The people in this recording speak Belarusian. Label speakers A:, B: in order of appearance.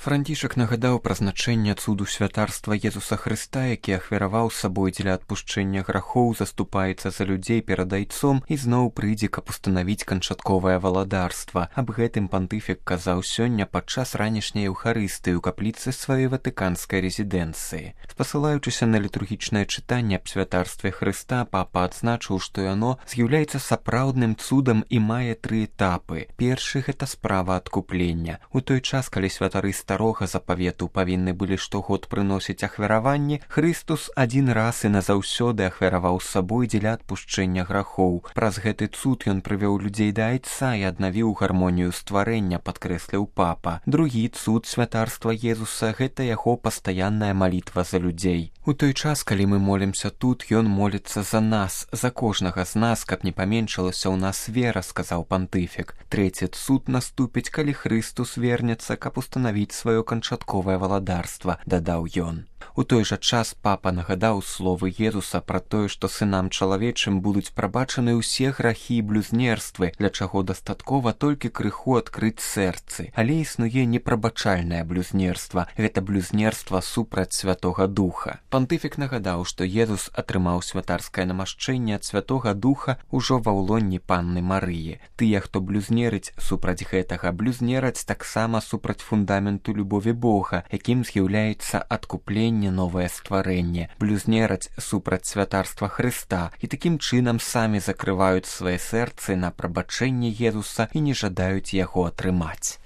A: Францішак нагадаў пра значэнне цуду святарства Езуса Хрыста, які ахвяраваў сабой дзеля адпушчэння грахоў, заступаецца за людзей перад айцом і зноў прыйдзе, каб устанавіць канчатковае валадарства. Аб гэтым пантыфік казаў сёння падчас ранішняй еўхарыстыі ў капліцы сваёй ватыканскай рэзідэнцыі. Спасылаючыся на літургічнае чытанне аб святарстве Хрыста, папа адзначыў, што яно з'яўляецца сапраўдным цудам і мае тры этапы. Першы – гэта справа адкуплення. У той час, калі святары старога запавету павінны былі штогод прыносіць ахвяраванні, Хрыстус адзін раз і назаўсёды ахвяраваў сабой дзеля адпушчэння грахоў. Праз гэты цуд ён прывёў людзей да айца і аднавіў гармонію стварэння, падкрэсліў папа. Другі цуд святарства Езуса – гэта яго пастаянная малітва за людзей. У той час, калі мы молімся тут, ён моліцца за нас, за кожнага з нас, каб не паменшылася ў нас вера, сказаў пантыфік. Трэці цуд наступіць, калі Хрыстус вернецца, каб устанавіць сваё канчатковае валадарства, дадаў ён. У той жа час папа нагадаў словы Езуса пра тое, што сынам чалавечым будуць прабачаны ўсе грахі і блюзнерствы, для чаго дастаткова толькі крыху адкрыць сэрцы. Але існуе непрабачальнае блюзнерства. Гэта блюзнерства супраць Святога Духа. Пантыфік нагадаў, што Езус атрымаў святарскае намашчэнне ад Святога Духа ўжо ва ўлонні Панны Марыі. Тыя, хто блюзнерыць супраць гэтага, блюзнераць таксама супраць фундаменту любові Бога, якім з'яўляецца адкупленне, новае стварэнне, блюзнераць супраць святарства Хрыста і такім чынам самі закрываюць свае сэрцы на прабачэнне Езуса і не жадаюць яго атрымаць.